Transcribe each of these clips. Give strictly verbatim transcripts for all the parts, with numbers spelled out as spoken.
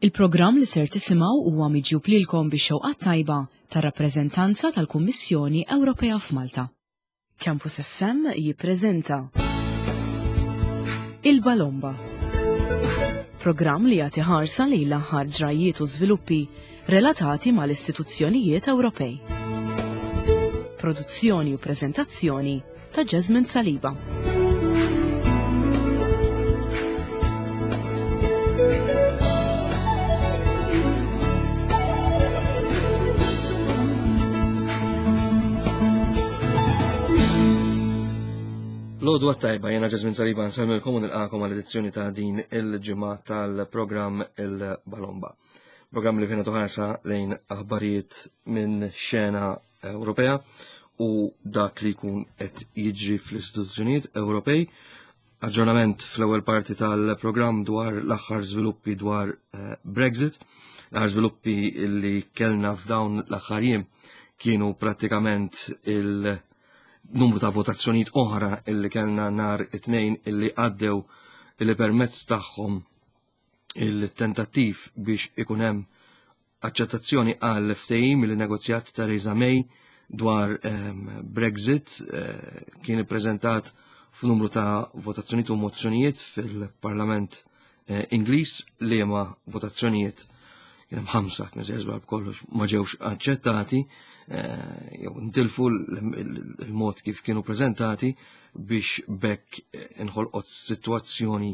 Il-programm li ser tisimgħu huwa miġjub lilkom bix-xewqa tajba tar-rappreżentanza tal-Kummissjoni Ewropea f'Malta. Campus F M jippreżenta Il-Balomba. Programm li jagħti ħarsa lejn l-aħħar ġrajiet u żviluppi relatati mal-istituzzjonijiet Ewropej. Produzzjoni u preżentazzjoni ta' Jasmine Saliba. L-għodwa t-tajba, jiena Jasmine Saliba, nsellmilkom u nilqagħkom għal-edizzjoni ta' din il-ġimgħa tal-programm Il-Balomba. Programm li fih nagħtu ħarsa lejn aħbarijiet minn xena Ewropea u dak li jkun qed jiġri fl-istituzzjonijiet Ewropej. Aġġornament fl-ewwel parti tal-programm dwar l-aħħar żviluppi dwar eh, Brexit. L-aħħar żviluppi li kellna f'dawn l-aħħar jiem kienu prattikament il- numru ta' votazzjonijiet oħra illi kellna nhar it-Tnejn illi għaddew, illi permezz tagħhom il-tentattiv biex ikun hemm aċċettazzjoni għal ftehim li negozjat Theresa May dwar um, Brexit uh, kien ippreżentat f'numru ta' votazzjonijiet u mozzjonijiet fil-Parlament uh, Ingliż, li ma votazzjonijiet, kien hemm ħamsa, kien żbar b'kollox, ma ġewx aċċettati eh, jew ntilfu il-mod kif kienu preżentati, biex bekk inħolqot sitwazzjoni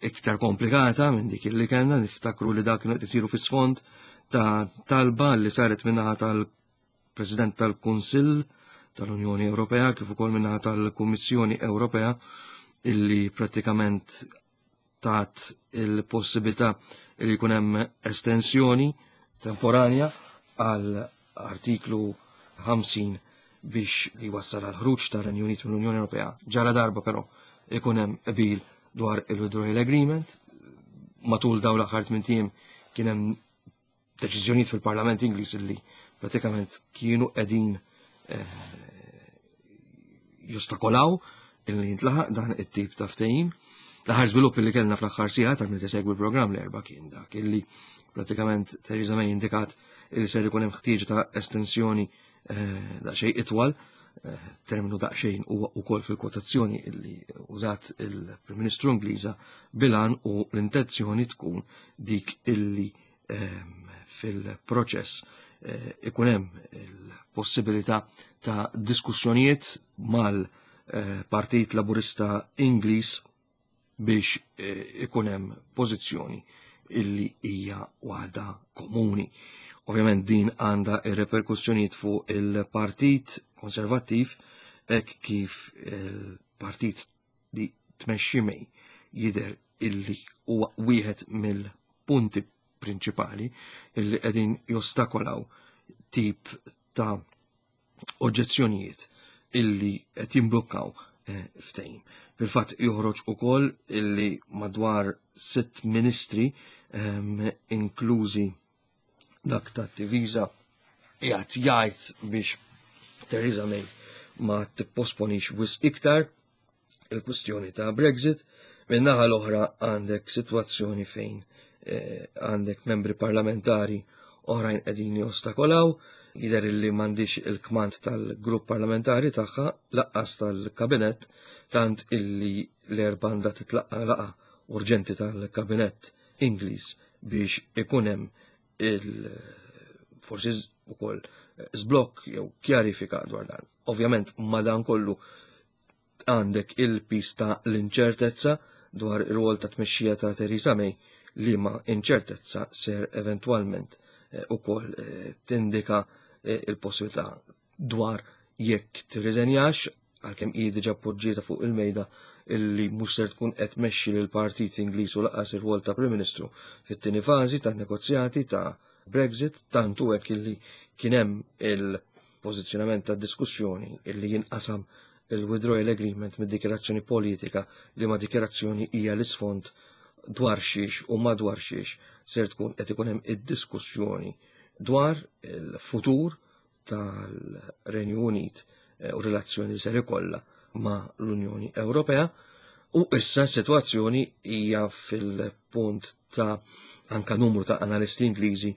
iktar komplikata minn dik li kellna. Niftakru li dak kienu qed isiru fis-sfond ta' talba li saret min-naħa tal-President tal-Kunsill tal-Unjoni Ewropea kif ukoll min-naħa tal-Kummissjoni Ewropea, illi prattikament tat il-possibilità li jkun hemm estensjoni temporanja għal artiklu ħamsin biex li wassal għal ħruġ tar-Renju Unit mill-Unjoni Ewropea. Ġala darba però ikun hemm qbil dwar il-withdrawal agreement. Matul dawn l-aħħar tmien ijiem kien hemm deċiżjonijiet fil-Parlament Ingliż illi pratikament kienu qegħdin eh, jostakolaw illi jintlaħaq dan it-tip ta' ftehim. L-aħħar żvilupp li kellna fl-aħħar sigħat, tal min segwi l-programm l-Erbgħa, kien dak illi pratikament Theresa May indikat illi ser ikun hemm ħtieġa ta' estensjoni eh, daqsxejn itwal, eh, terminu daqsxejn huwa wkoll fil-kwotazzjoni illi użat il-Prim Ministru Ingliża, bil-għan u l-intenzjoni tkun dik illi ehm, fil-proċess eh, ikun hemm il-possibilità ta' diskussjonijiet mal-Partit Laburista Ingliż biex eh, ikun hemm pożizzjoni illi hija waħda komuni. Ovvjament din għandha ir-reperkussjonijiet fuq il-Partit Konservattiv, hekk kif il-partit li tmexxi May jidher illi huwa wieħed mill-punti prinċipali illi qegħdin jostakolaw tip ta' oġġezzjonijiet illi qed jimblukkaw eh, ftehim. Fil-fatt joħroġ ukoll illi madwar sitt ministri, um, inklużi dak ta' difiża, jgħat jgħid biex Theresa May ma tipposponix wisq iktar il-kwistjoni ta' Brexit. Min-naħa l-oħra għandek sitwazzjoni fejn eh, għandek membri parlamentari oħrajn qegħdin jostakolaw. Jidher illi m'għandix il-kmand tal-grupp parlamentari tagħha lanqas tal-kabinett, tant illi l-Erbgħa għandha titlaqqa laqgħa urġenti tal-kabinett Ingliż biex ikun hemm il forsi ukoll żblokk jew kjarifika dwar dan. Ovvjament ma dan kollu għandek il-piż ta' l-inċertezza dwar ir-rwol ta' tmexxija ta' Theresa May, li ma inċertezza ser eventwalment eh, ukoll eh, tindika eh, il-possibilità dwar jekk tirriżenjax, għalkemm hi diġà poġġieta fuq il-mejda illi mhux ser tkun qed tmexxi lil Partit Ingliż u lanqas ir-rwol ta' Prim Ministru fit-tieni fażi ta' negozjati ta' Brexit, tantu hekk illi kien hemm il-pożizzjonament ta' diskussjoni illi jinqasam il-withdrawal agreement mid-dikjarazzjoni politika, li ma dikjarazzjoni hija l-isfond dwar xiex u madwar xiex ser tkun qed ikun hemm id-diskussjoni dwar il-futur tal-Renju Unit eh, u relazzjoni li ser ikollha ma' l-Unjoni Ewropea. U issa s-sitwazzjoni hija fil-punt ta' anka numru ta' analisti Ingliżi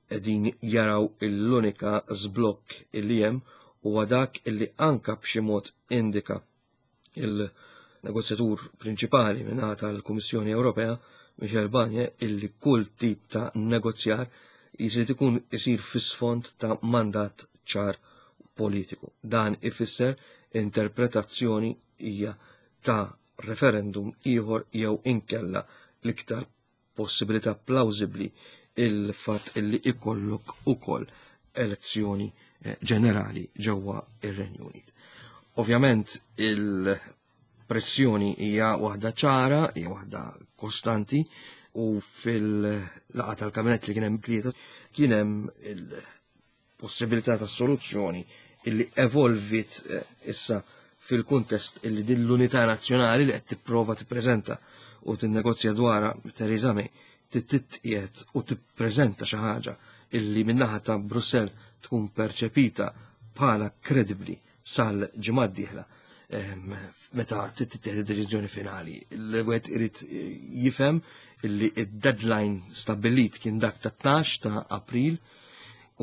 qegħdin jaraw l-unika żblokk illi hemm huwa dak illi anka b'xi mod indika il-negozjatur prinċipali minn tal-Kummissjoni Ewropea, Michel Barnier, illi kull tip ta' negozjar jrid ikun isir fis-sfond ta' mandat ċar politiku. Dan ifisser interpretazzjoni hija ta' referendum ieħor jew inkella l-iktar possibilità plawsibbli il-fatt illi ikollok ukoll elezzjoni ġenerali ġewwa ir-Renju Unit. Ovvjament il-pressjoni hija waħda ċara, hija waħda kostanti, u fil-laqgħa tal-kabinett li kien hemm tlieta kien hemm il-possibilità ta' soluzzjoni illi evolvit issa fil-kuntest illi din l-unità nazzjonali li qed tipprova tippreżenta u tinnegozja dwarha Theresa May titqiegħed u tippreżenta xi ħaġa illi min-naħa ta' Brussell tkun perċepita bħala kredibbli sal-ġimgħa d-dieħla meta tittieħed id-deċiżjoni finali. Il-wieħed irid jifhem illi id-deadline stabbilit kien dak ta' tnax ta' April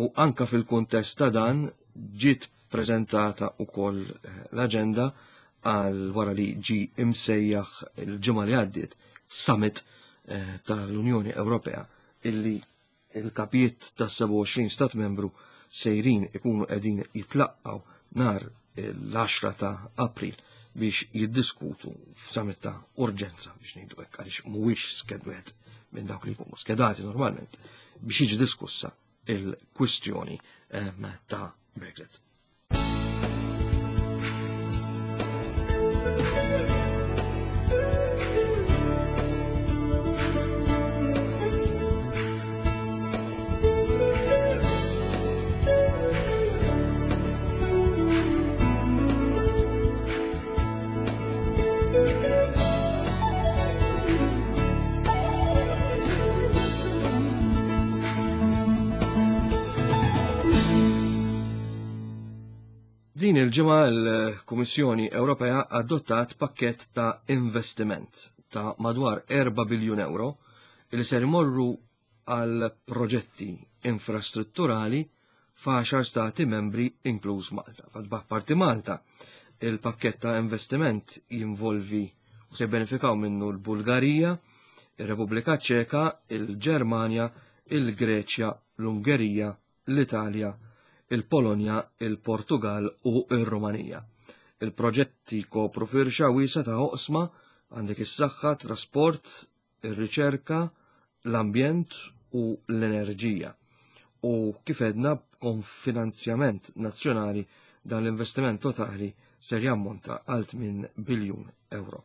u anka fil-kuntest ta' dan ġiet preżentata wkoll l-aġenda għal wara li ġi imsejjaħ il-ġimgħa li għaddiet summit tal-Unjoni Ewropea illi il-kapijiet ta' sebgħa u għoxrin stat membru sejrin ikunu qegħdin jitlaqgħu nhar l-għaxra ta' April biex jiddiskutu f'summit ta' urġenza biex ngħidu hekk, għaliex mhuwiex skedwet minn dawk li jkunu skedati normalment biex jiġi diskussa il-kwistjoni ta' Brexit. Din il-ġimgħa l-Kummissjoni Ewropea adottat pakkett ta' investiment ta' madwar erba' biljun euro li ser imorru għal proġetti infrastrutturali f'għaxar stati membri inkluż Malta. F'parti Malta, il-pakkett ta' investiment jinvolvi u se jbenefikaw minnu l-Bulgarija, ir-Repubblika Ċeka, il-Ġermanja, il-Greċja, l-Ungerija, l-Italja, il-Polonja, il-Portugal u il-Rumanija. Il-proġetti kopru firxa wiesa ta' oqsma għandek is-saħħa, trasport, ir-riċerka, l-ambjent u l-enerġija. U kif edna b'konfinanzjament nazzjonali dan l-investiment totali ser jammonta għal tmien biljun euro.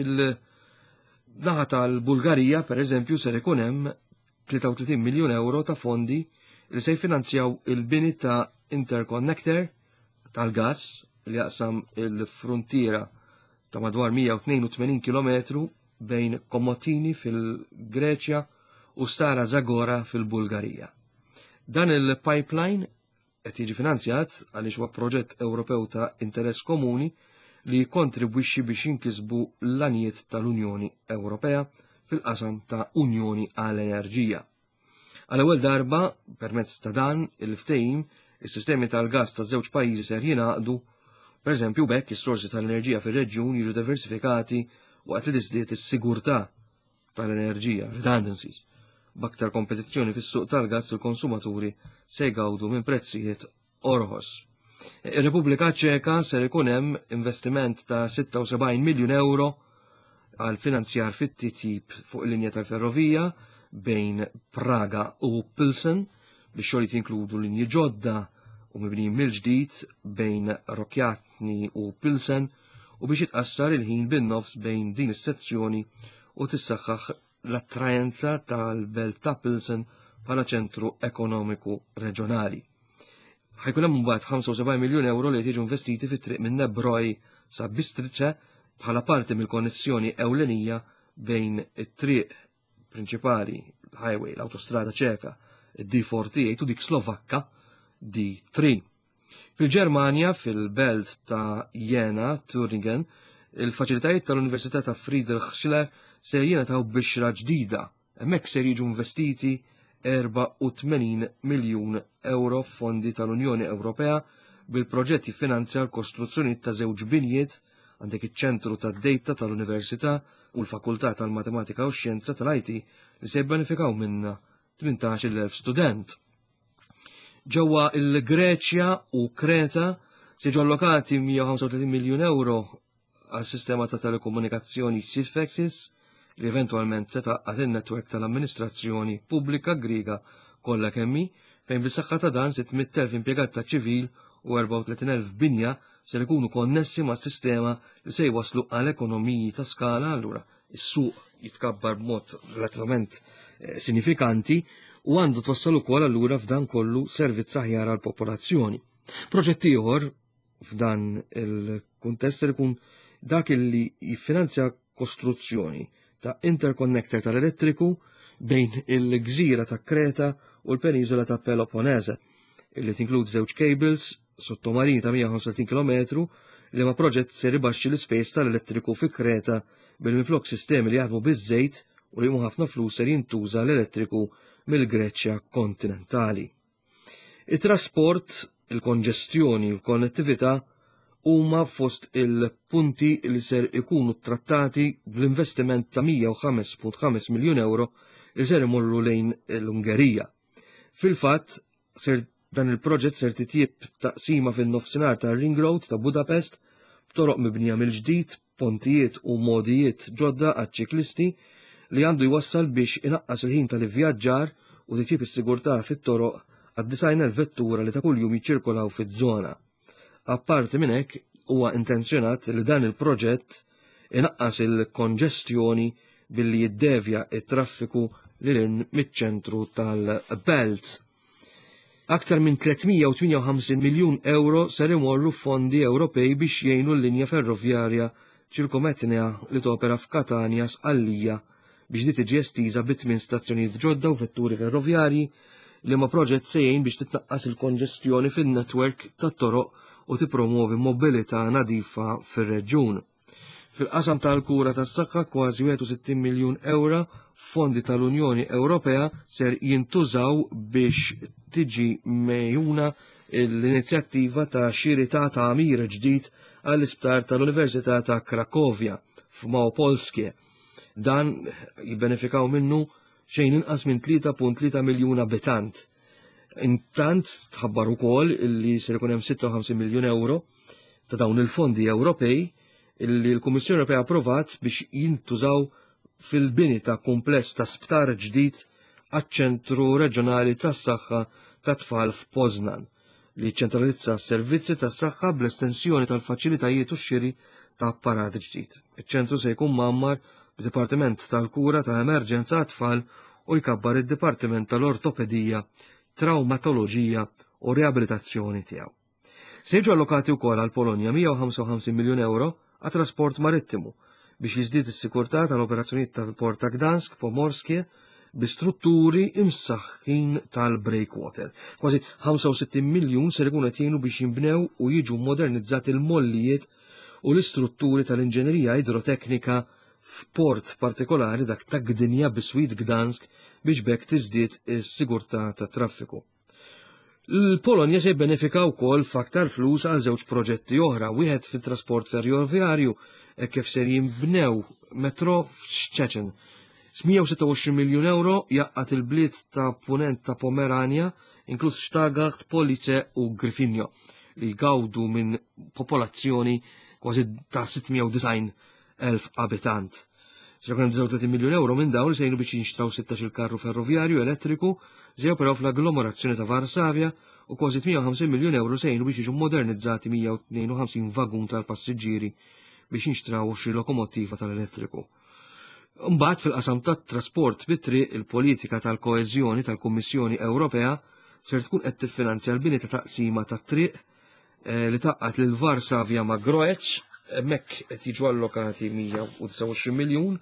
Il-naħa tal-Bulgarija, per eżempju, ser ikun hemm tlieta u tletin miljun euro ta' fondi li se jfinanzjaw il-bini ta' interconnector tal-gas li jaqsam il-frontiera ta' madwar mija u tnejn u tmenin kilometru bejn Komotini fil-Greċja u Stara Zagora fil-Bulgarija. Dan il-pipeline qed jiġi finanzjat għaliex huwa proġett Ewropew ta' interess komuni li jikkontribwixxi biex jinkisbu l-għanijiet tal-Unjoni Ewropea fil-qasam ta' Unjoni għall-Enerġija. Għal-ewwel darba, permezz ta' dan il-ftehim, is-sistemi tal-gas ta' żewġ pajjiżi ser jingħaqdu. Per eżempju, b'hekk is-sorsi tal-enerġija fir-reġjun jiġu diversifikati waqt li tiżdied is-sigurtà tal-enerġija, redundancies. B'aktar kompetizzjoni fis-suq tal-gas il-konsumaturi se jgawdu minn prezzijiet orħos. Ir-Repubblika Ċeka ser ikun hemm investiment ta' sitta u sebgħin miljun euro għal finanzjar fit-titjib fuq il-linja tal-ferrovija bejn Praga u Pilsen, biex xogħlijiet jinkludu linji ġodda u mibnijin mill-ġdid bejn Rokycany u Pilsen, u biex jitqassar il-ħin bin-nofs bejn din is-sezzjoni u tissaħħaħ l-attraenza tal-belt ta' Pilsen bħala ċentru ekonomiku reġjonali. Ħajkun hemm mbagħad ħamsa u sebgħin miljun euro li jiġu investiti fit-triq minn Nebroj sa Bistrice bħala parti mill-konnessjoni ewlenija bejn it-triq prinċipali, l-highway, l-autostrada ċeka, D forty-eight u dik Slovakka D three. Fil-Ġermanja, fil-belt ta' Jena, Thüringen, Il-faċilitajiet tal-Università ta' Friedrich Schiller se jingħataw bixra ġdida. Hemmhekk ser jiġu investiti erbgħa u tmenin miljun euro fondi tal-Unjoni Ewropea, bil-proġett jiffinanzja l-kostruzzjoni ta' żewġ binjiet, għandek iċ-ċentru tad-data tal-Università u l-Fakultà tal-Matematika u Xjenza tal-I T, li se jibbenefikaw minna tmintax-il elf student. Ġewwa il-Greċja u Kreta se jiġu allokati mija u ħamsa u tletin miljun euro għal sistema ta' telekomunikazzjoni Sifexis, li eventualment se tgħaqqad in-netwerk tal-amministrazzjoni pubblika Griega kollha kemm hi, fejn bis-saħħa ta' dan sitt mitt elf impjegat ta' ċivil u erbgħa u tletin elf binja se jkunu konnessi ma' sistema li se jwaslu għal ekonomiji ta' skala. Allura is-suq jitkabbar b'mod relativament eh, sinifikanti u għandu twassal ukoll allura f'dan kollu servizz aħjar għal popolazzjoni. Proġett ieħor f'dan il-kuntest ser ikun dak li jiffinanzja kostruzzjoni ta' interconnector tal-elettriku bejn il-gżira ta' Kreta u l-peniżola ta' Peloponnese, illi tinkludi żewġ cables sottomarini ta' mija u ħamsa u tletin kilometru, li ma proġett ser ibaxxi l-ispejjeż tal-elettriku fi Kreta, bil-minflok sistemi li jaħdmu biż-żejt u li ħafna flus ser jintuża l-elettriku mill-Greċja kontinentali. Il-trasport, il-konġestjoni u l-konnettività huma fost il-punti li ser ikunu trattati bl-investiment ta' mija u ħamsa punt ħamsa miljun euro li ser imorru lejn l-Ungerija. Fil-fatt, ser dan il-proġett ser titjib taqsima fin-nofsinhar ta' Ring Road ta' Budapest, b'toroq mibnija mill-ġdid, pontijiet u modijiet ġodda għaċ-ċiklisti, li għandu jwassal biex inaqqas il-ħin tal-ivvjaġġar u titjib is-sigurtà fit-toroq għad-disgħin vettura li ta' kuljum jiċċirkolaw fiż-żona. Apparti minn hekk, huwa intenzjonat li dan il-proġett inaqqas il-konġestjoni billi jiddevja it-traffiku lil miċ-ċentru tal-Belt. Aktar minn tliet mija u tmienja u ħamsin miljun euro ser imorru fondi Ewropej biex jgħinu l-linja ferrovjarja ċirkometnea li topera f'Katania Sqallija biex di tiġi estiża bi tmien stazzjonijiet ġodda u vetturi ferrovjarji, li ma proġett se jgħin biex titnaqqas il-konġestjoni fin-netwerk tat-toroq u tippromovi mobilità nadifa fir-reġjun. Fil-qasam tal-kura tas-saħħa, kważi wieħed u sittin miljun euro fondi tal-Unjoni Ewropea ser jintużaw biex tiġi megħjuna l-inizjattiva ta' xiri ta' tagħmir ġdid għall-isptar tal-Università ta' Krakovja f'Małopolskie. Dan jibbenefikaw minnu xejn inqas minn tlieta punt tlieta miljun abitant. Intant tħabbar ukoll illi ser ikun hemm sitta u ħamsin miljun euro ta' dawn il-fondi Ewropej illi l-Kummissjoni Ewropea approvat biex jintużaw fil-bini ta' kumpless ta' sptar ġdid għaċ-ċentru reġjonali tas-saħħa ta' tfal f'Poznan, li ċentralizza s-servizzi tas-saħħa bl-estensjoni tal-faċilitajiet u x-xiri ta' apparat ġdid. Iċ-ċentru se jkun mgħammar b'dipartiment tal-kura ta' emerġenza tfal u jkabbar id-dipartiment tal-ortopedija, traumatoloġija u riabilitazzjoni tiegħu. Se jiġu allokati wkoll għal Polonja mija u ħamsa u ħamsin miljun euro għat trasport marittimu biex jiżdied is-sikurtà tal-operazzjonijiet tal-port ta' Gdansk Pomorskie bi strutturi imsaħħin tal-breakwater. Kważi ħamsa u sittin miljun ser ikun qed jgħinu biex jinbnew u jiġu modernizzati l-mollijiet u l-istrutturi tal-inġenerija idroteknika f'port partikolari, dak ta' Gdynia biswit Gdansk, biex b'hekk tiżdied is-sigurtà tat-traffiku. L-Polonja se jibbenefika wkoll f'aktar flus għal żewġ proġetti oħra, wieħed fit-trasport ferrovjarju, e kif ser jinbnew metro f'Szczecin. mija u sitta u għoxrin miljun euro jgħaqqad il-bliet ta' punent ta' Pomerania, inkluż Stargard, Police u Gryfino, li jgawdu minn popolazzjoni kważi ta' sitt mija u disgħin elf abitant. Se jkun hemm disgħa u tletin miljun euro minn dawn li se jgħinu biex jinxtraw sittax-il karru ferrovjarju elettriku se joperaw fl-agglomerazzjoni ta' Varsavja, u kważi tmienja u ħamsin miljun euro se jgħinu biex jiġu modernizzati mija u tnejn u ħamsin vagun tal-passiġġieri biex jinxtraw xi lokomottiva tal-elettriku. Mbagħad, fil-qasam tat-trasport bit-triq, il-politika tal-koeżjoni tal-Kummissjoni Ewropea ser tkun qed tiffinanzja l-bini ta' taqsima tat-triq eh, li tgħaqqad lil Varsavja ma' Groech. Hemmhekk qed jiġu allokati mija u disgħa u għoxrin miljun.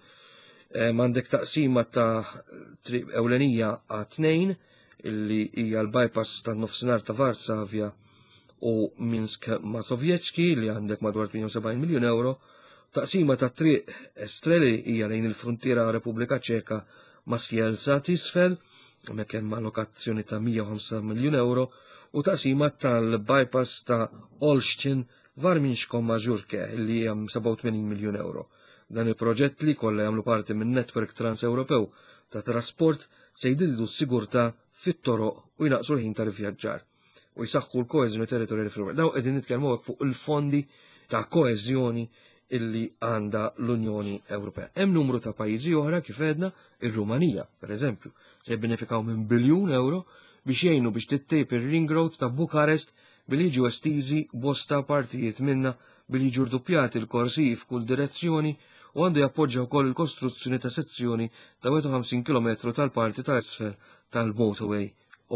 Eh, M'għandek taqsima ta' triq ewlenija A tnejn, illi hija l-bypass tan-nofsinhar ta' Varsavja u Minsk Mazowiecki, li għandek madwar tmienja u sebgħin miljun euro. Taqsima ta' triq Estreli hija lejn il-frontiera Repubblika Ċeka ma' Sielza t'isfel, hemmhekk hemm allokazzjoni ta' mija u ħamsa miljun euro, u taqsima tal-bypass ta' Olsztyn Warmińsko-Mażurke li hemm sebgħa u tmenin miljun euro. Dan il-proġett li kollha jagħmlu parti minn netwerk trans-Ewropew ta' trasport se jdildu s-sigurtà fit-toroq u jnaqsu l-ħin tal-vjaġġar u jsaħħu l-koeżjoni territorjali fl-Ewropa. Daw qegħdin nitkellmu hekk fuq il-fondi ta' koeżjoni illi għandha l-Unjoni Ewropea. Hemm numru ta' pajjiżi oħra kif għedna, ir-Rumanija, pereżempju, se jibbenefikaw minn biljun euro biex jgħinu biex tittejb ir-ring road ta' Bukarest billi jiġu estiżi bosta partijiet minna billi jiġu rduppjati l-korsiji f'kull direzzjoni u għandu jappoġġa wkoll il-kostruzzjoni ta' sezzjoni ta' wieħed u ħamsin kilometru tal-parti ta' isfel tal-motorway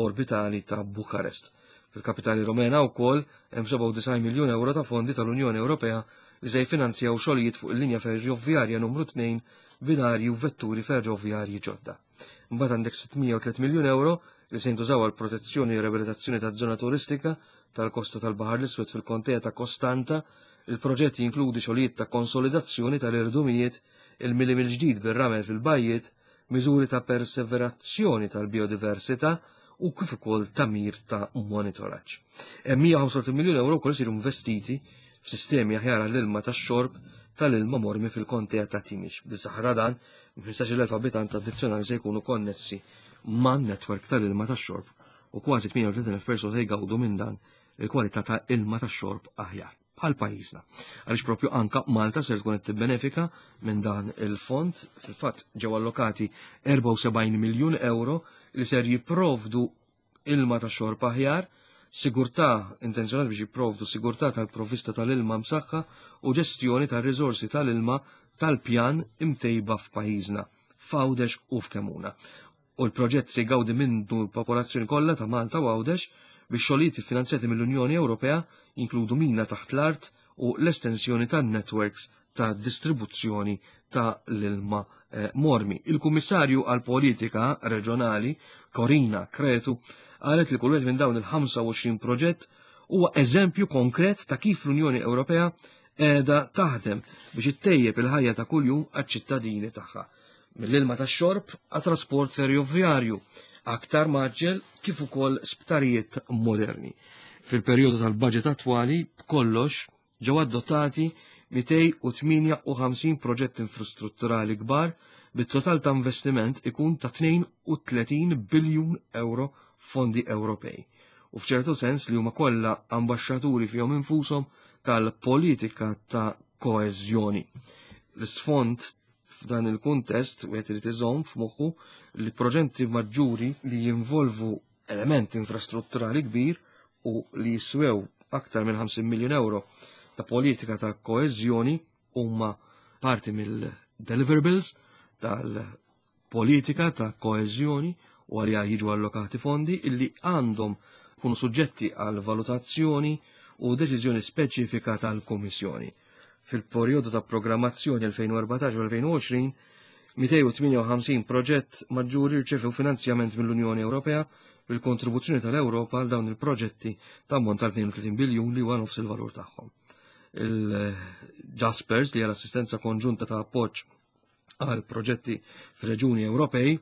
orbitali ta' Bukarest. Fil-kapitali Rumena wkoll hemm sebgħa u disgħin miljun euro ta' fondi tal-Unjoni Ewropea li se jfinanzjaw xogħlijiet fuq il-linja ferrovjarja numru tnejn, binarji u vetturi ferrovjarji ġodda. Imbagħad għandek sittmija u tliet miljun euro li se jintużaw għal protezzjoni u riabilitazzjoni taż-żona turistika tal-kosta tal-Baħar l-Iswed fil-kontea ta' Kostanta. Il-proġett jinkludi xogħlijiet ta' konsolidazzjoni tal-irdumijiet, il-mili mill-ġdid bir-ramel fil-bajjiet, miżuri ta' perseverazzjoni tal-biodiversità u kif ukoll tagħmir ta' monitoraġġ. Hemm mija u ħamsa u tletin miljun euro wkoll isiru investiti f'sistemi aħjar għall-ilma tax-xorb tal-ilma mormi fil-kontea ta' Timiċ. Bis-saħħa ta' dan, ħmistax-il elf abitant addizzjonali se jkunu konnessi man-netwerk tal-ilma tax-xorb u kważi tmienja u tletin elf persuna se jgawdu minn dan il-kwalità ta' ilma tax-xorb aħjar bħal pajjiżna. Għaliex propju anka Malta ser tkun qed tibbenefika minn dan il-fond. Fil-fatt ġew allokati erbgħa u sebgħin miljun euro li ser jipprovdu ilma ta' xorb aħjar, sigurtà intenzjonat biex jipprovdu sigurtà tal-provvista tal-ilma msaħħa u ġestjoni tar-riżorsi tal-ilma tal-pjan imtejba f'pajjiżna, f'Għawdex u f'Kemuna. U l-proġett se jgawdi minnu l-popolazzjoni kollha ta' Malta u Għawdex biex xogħlijiet iffinanzjati mill-Unjoni Ewropea jinkludu mina taħt l-art u l-estensjoni tan-networks ta' distribuzzjoni ta' l-ilma, eh, mormi. Il-Kummissarju għal-Politika Reġjonali, Corina Cretu, qalet li kull wieħed minn dawn il-ħamsa u għoxrin proġett huwa eżempju konkret ta' kif l-Unjoni Ewropea qiegħda taħdem biex ittejjeb il-ħajja ta' kuljum għaċ-ċittadini tagħha. Mill-ilma tax-xorb għat-trasport ferrovjarju, aktar maġġel kif ukoll sptarijiet moderni. Fil-perjodu tal-budget attwali, b'kollox ġew adottati mitej u tmienja u ħamsin proġett infrastrutturali kbar bit-total ta' investiment ikun ta' tnejn u tletin biljun euro fondi Ewropej. U f'ċertu sens li huma kollha ambaxxaturi fihom infushom tal-politika ta' koeżjoni. L-isfond f'dan il-kuntest wieħed irid iżomm f'moħħu li proġetti maġġuri li jinvolvu element infrastrutturali kbir u li jiswew aktar minn ħamsin miljun euro ta' politika ta' koeżjoni huma parti mill-deliverables tal-politika ta' koeżjoni u għalija jiġu allokati fondi illi għandhom kunu suġġetti għal valutazzjoni u deċiżjoni speċifika tal-Kummissjoni. Fil-perjodu ta' programmazzjoni elfejn u erbatax u elfejn u għoxrin, mitej u tmienja u ħamsin proġett maġġuri rċevew finanzjament mill-Unjoni Ewropea bil-kontribuzzjoni tal-Ewropa għal dawn il-proġetti ta' ammont tal tnejn u tletin biljun li huwa nofs il-valur tagħhom. Il-Jaspers, li hija l-assistenza konġunta ta' appoġġ għal proġetti fir-reġuni Ewropej,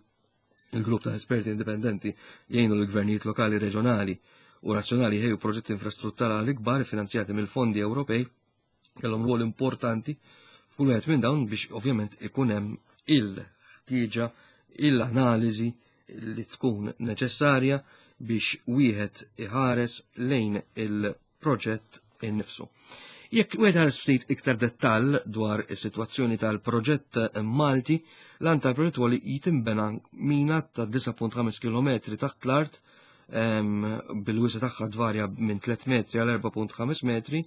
il-grupp ta' esperti indipendenti jgħinu l-gvernijiet lokali, reġjonali u nazzjonali jħejju proġetti infrastrutturali kbar finanzjati mill-fondi Ewropej, kellhom rwol importanti f'kull wieħed minn dawn biex ovvjament ikun hemm il-ħtieġa, il-analiżi li tkun neċessarja biex wieħed iħares lejn il-proġett innifsu. Jekk wieħed ħares ftit iktar dettall dwar is-sitwazzjoni tal-proġett Malti, l-għan tal-proġett huwa li jitimbena mina ta' disa' punt ħames kilometri taħt l-art, ehm, bil-wisa tagħha tvarja minn tliet metri għal erba' punt ħames metri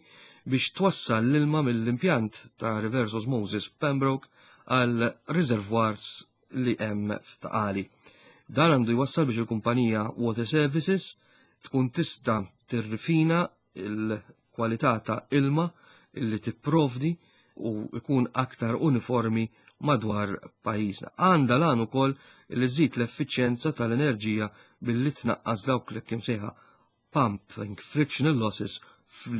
biex twassal l-ilma mill-impjant ta' reverse osmosis f'Pembroke għal reservoirs li hemm f'Taqali. Dan għandu jwassal biex il-kumpanija Water Services tkun tista' tirrifina il-kwalità ta' ilma illi tipprovdi u ikun aktar uniformi madwar pajjiżna. Għandha l-għan ukoll li żżid l-effiċjenza tal-enerġija billi tnaqqas dawk li kien sejħa pumping frictional losses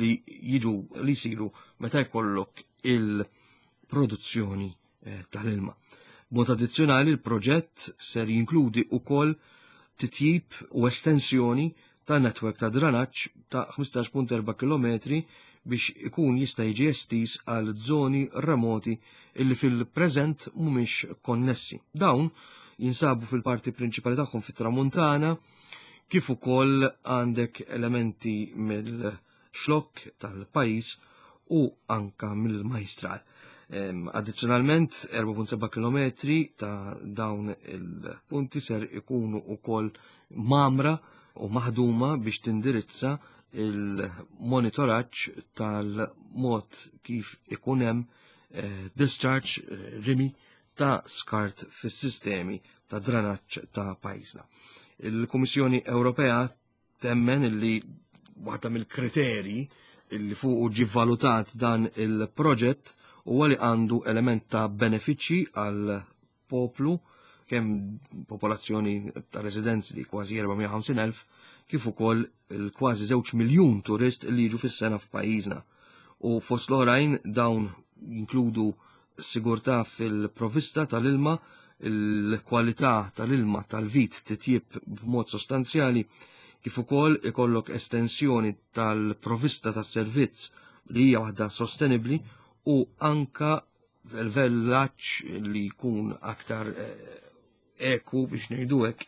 li jiġu li jsiru meta jkollok il produzzjoni tal-ilma. B'mod addizzjonali l-proġett ser jinkludi wkoll titjib u estensjoni ta' netwerk ta' dranaġġ ta' ħmistax punt erba' kilometri biex ikun jista' jiġi estiż għal żoni remoti illi fil-preżent mhumiex konnessi. Dawn jinsabu fil-parti prinċipali tagħhom fit-Tramuntana, kif ukoll għandek elementi mill-xlokk tal-pajjiż u anka mill-Majstral. Addizzjonalment, erba' punt seba' kilometri ta' dawn il-punti ser ikunu ukoll mamra u maħduma biex tindirizza il-monitoraġġ tal-mod kif ikun hemm, eh, discharge, eh, rimi ta' skart fis-sistemi ta' dranaġġ ta' pajjiżna. Il-Kummissjoni Ewropea temmen illi waħda mill-kriterji illi fuq ġie valutat dan il-proġett huwa li għandu element ta' benefiċċji għal poplu, kemm popolazzjoni ta' residenzi li kważi erba' mija u ħamsin elf, kif ukoll il-kważi żewġ miljun turist li jiġu fis-sena f'pajjiżna. U fost l-oħrajn dawn jinkludu sigurtà fil-provista tal-ilma, il-kwalità tal-ilma tal-vit titjib b'mod sostanzjali, kif ukoll ikollok estensjoni tal-provista tas-servizz li hija waħda sostenibbli u anka l-vellaġġ li jkun aktar, eh, eku biex ngħidu hekk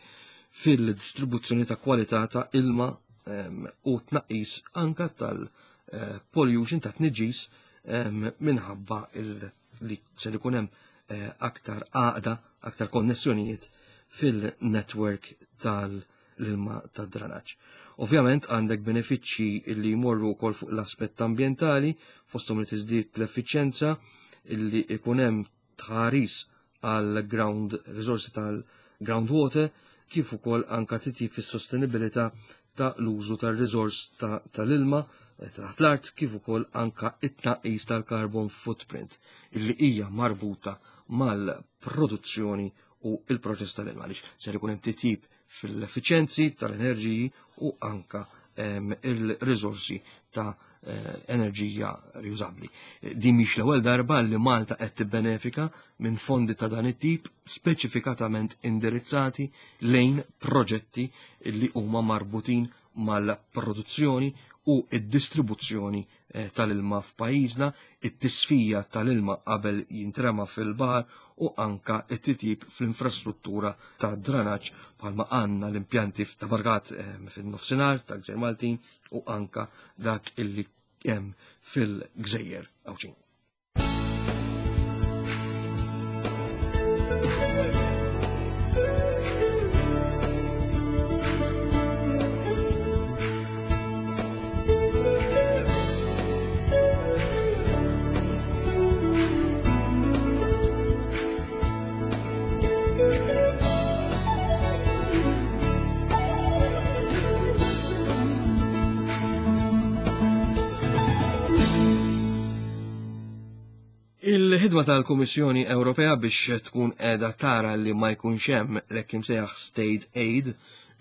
fil-distribuzzjoni ta' kwalità ta' ilma, ehm, u tnaqqis anka tal-pollution ta' tniġġis, ehm, minħabba il-, li ser ikun hemm, eh, aktar għaqda, aktar konnessjonijiet fil-network tal-ilma tad-dranaġġ. Ovvjament għandek benefiċċji li jmorru wkoll fuq l-aspett ambjentali, fosthom li tiżdied l-effiċjenza, illi ikun hemm tħaris għal ground resources tal-groundwater, kif ukoll anka titjib fis-sostenibilità ta' l-użu tar-riżors ta', tal-ilma taħt l-art, kif ukoll anka it-tnaqqis tal-carbon footprint illi hija marbuta mal-produzzjoni u il-proċess tal-ilma, għaliex ser ikun hemm titjib fil-effiċjenzi tal-enerġiji u anka, ehm, il-riżorsi ta', eh, enerġija riużabbli. Din mhix l-ewwel darba li Malta qed tibbenefika minn fondi ta' dan it-tip speċifikatament indirizzati lejn proġetti li huma marbutin mal-produzzjoni u id-distribuzzjoni, eh, tal-ilma f'pajjiżna, it-tisfija tal-ilma qabel jintrema fil-baħar u anka it-titjib fl-infrastruttura ta' dranaġġ bħalma għandna l-impjanti ta' Bargat, eh, fin-nofsinhar ta' Gżejjer Maltin u anka dak illi hemm fil-Gżejjer Għawdxin. Il-ħidma tal-Kummissjoni Ewropea biex tkun qiegħda tara li ma jkunx hemm l-hekk imsejjaħ state aid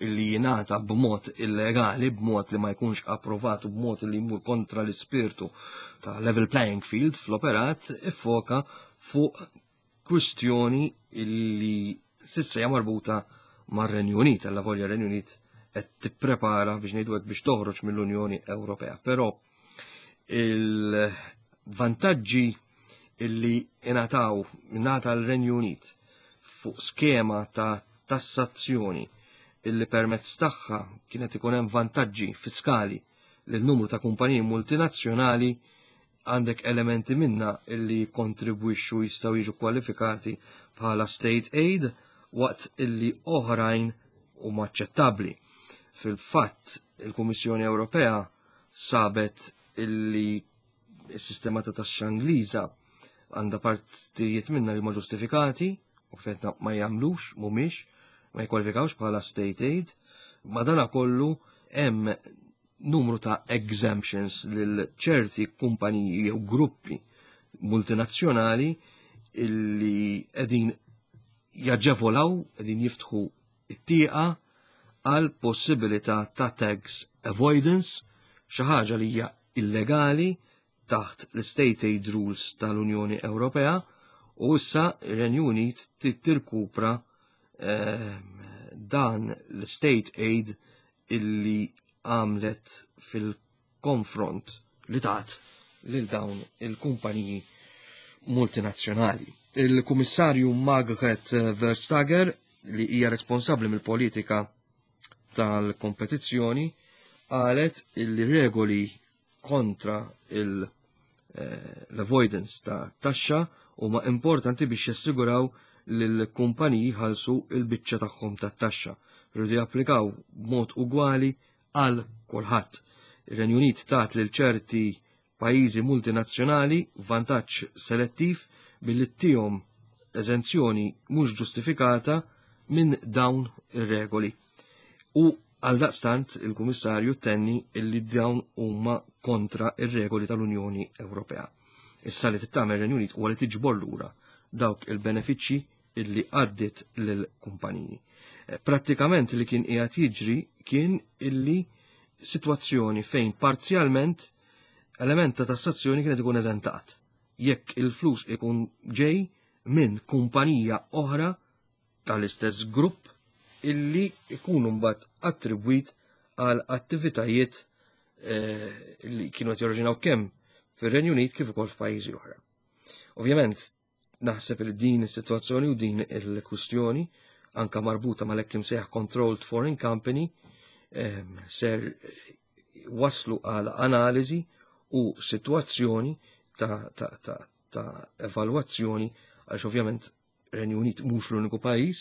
li jingħata b'mod illegali, b'mod li ma jkunx approvat u b'mod li jmur kontra l-ispirtu ta' level playing field fl-operat, iffoka fuq kwistjoni li s'issa hija marbuta mar-Renju Unit, alla volja r-Renju Unit qed tipprepara biex ngħidu hekk biex toħroġ mill-Unjoni Ewropea. Però il-vantaġġi illi ingħataw ingħata l-Renju Unit fuq skema ta' tassazzjoni illi permezz tagħha kienet ikun hemm vantaġġi fiskali lil numru ta' kumpaniji multinazzjonali, għandek elementi minna illi kontribwixxu jistgħu jiġu kwalifikati bħala state aid waqt illi oħrajn huma aċċettabbli. Fil-fatt, il-Kummissjoni Ewropea sabet illi s-sistema ta' taxxa Ingliża għandha partijiet minna li huma ġustifikati u fetna ma jagħmlux, mhumiex, ma jkwalifikawx bħala state aid. Madana kollu hemm numru ta' exemptions lil ċerti kumpaniji jew gruppi multinazzjonali illi qegħdin jaġevolaw, qegħdin jiftħu it-tieqa għal possibilità ta' tax avoidance, xi ħaġa li hija illegali, taħt l-State Aid Rules tal-Unjoni Ewropea u issa ir-Renju Unit tirkupra ehm, dan l-State Aid illi għamlet fil-konfront li tat lil dawn il-kumpaniji multinazzjonali. Il-Kummissarju Margrethe Vestager, li hija responsabbli mill-politika tal-kompetizzjoni, qalet illi regoli kontra eh, l-avoidance ta' taxxa huma importanti biex jassiguraw li l-kumpaniji ħalsu il-biċċa tagħhom tat-taxxa. Rridu japplikaw b'mod ugwali għal kulħadd. Ir-Renju Unit tat lil ċerti pajjiżi multinazzjonali vantaġġ selettiv billi ttihom eżenzjoni mhux ġustifikata minn dawn ir-regoli. U għaldaqstant il-Kummissarju tenni illi dawn huma kontra ir-regoli tal-Unjoni Ewropea. Issa li tagħmel ir-Renju Unit huwa li tiġbor lura dawk il-benefiċċji illi għaddit lill-kumpaniji. Eh, prattikament li kien qiegħed jiġri kien illi sitwazzjoni fejn parzjalment element ta' tassazzjoni kienet ikun eżentat. Jekk il-flus ikun ġej minn kumpanija oħra tal-istess grupp illi ikunu mbagħad attribwit għal attivitajiet eh, li kienu qed jorġinaw kemm fir-Renju Unit kif ukoll f'pajjiżi oħra. Ovvjament, naħseb li din is-sitwazzjoni u din il-kwistjoni anka marbuta mal-hekk imsejjaħ Controlled Foreign Company ehm, ser waslu għal analiżi u sitwazzjoni ta', ta, ta, ta evalwazzjoni, għax ovvjament Renju Unit mhux l-uniku pajjiż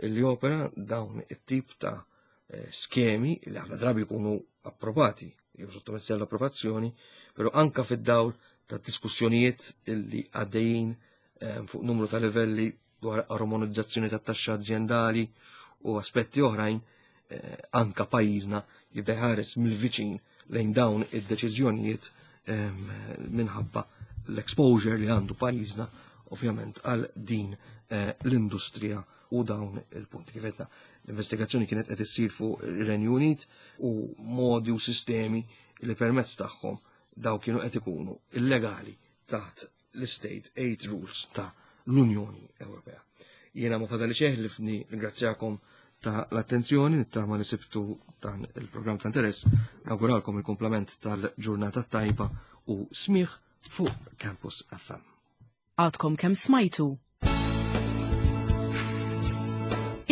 li opera dawn it-tip ta' eh, skemi li ħafna drabi jkunu approvati, jew sottomessi għall-approvazzjoni, però anka fid-dawl ta' diskussjonijiet illi għaddejjin eh, fuq numru ta' livelli dwar armonizzazzjoni ta' taxxa aziendali u aspetti oħrajn, eh, anka pajjiżna jibda jħares mill-viċin lejn dawn id-deċiżjonijiet minħabba l-exposure li għandu pajjiżna ovvjament għal din l-industrija u dawn il-punti. Kif għedna, l-investigazzjoni kienet qed issir fuq ir-Renju Unit u modi u sistemi li permezz tagħhom daw kienu qed ikunu illegali taħt l-State Aid Rules ta' l-Unjoni Ewropea. Jiena ma fadali xejn ħlief nirringrazzjakom ta' l-attenzjoni, nittama li sibtu dan il-programm ta' interess, nawguralkom il-komplement tal-ġurnata tajba u smigħ fuq Campus F M. Għadkom kemm smajtu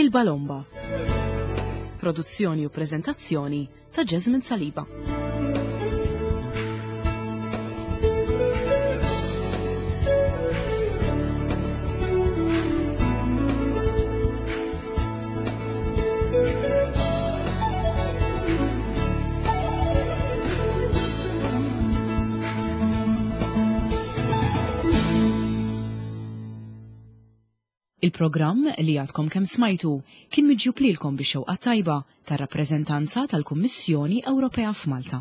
Il-Balomba. Produzzjoni u prezentazzjoni ta' Jasmine Saliba. Il-programm li għadkom kemm smajtu kien miġjub lilkom bix-xewqa tajba tar-rappreżentanza tal-Kummissjoni Ewropea f'Malta.